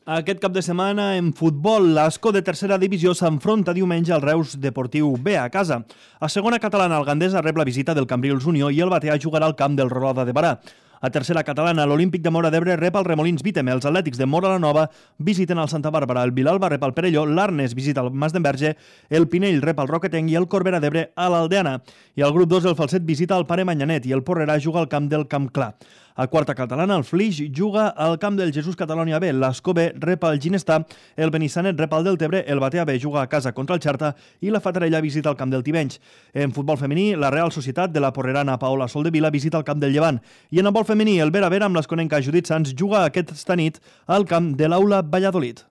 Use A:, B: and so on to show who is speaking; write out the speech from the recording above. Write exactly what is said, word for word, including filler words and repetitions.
A: Aquest cap de setmana, en futbol, l'Ascó de tercera divisió s'enfronta diumenge al Reus Deportiu B a casa. A segona catalana, el Gandesa rep la visita del Cambrils Unió i el Batea jugarà al camp del Roda de Barà. A tercera catalana, l'Olímpic de Móra d'Ebre rep el Remolins Vítem, els Atlètics de Móra la Nova visiten el Santa Bàrbara, el Vilalba rep el Perelló, l'Arnes visita el Mas d'Enverge, el Pinell rep el Roquetenc i el Corbera d'Ebre a l'Aldeana. I el grup dos, el Falset, visita el Pare Manyanet i el Porrerà juga al camp del Camp Clar. A quarta catalana, el Flix juga al camp del Jesús Catalonia B, l'Ascó B rep el Ginestà, el Benissanet rep el Deltebre, el Batea B juga a casa contra el Xerta i la Fatarella visita el camp del Tivenys. En futbol femení, la Real Societat de la Porrerana Paola Soldevila visita el camp del Llevant. I en handbol femení, el Vera Vera amb l'Esconenca Judit Sans juga aquesta nit al camp de l'Aula Valladolid.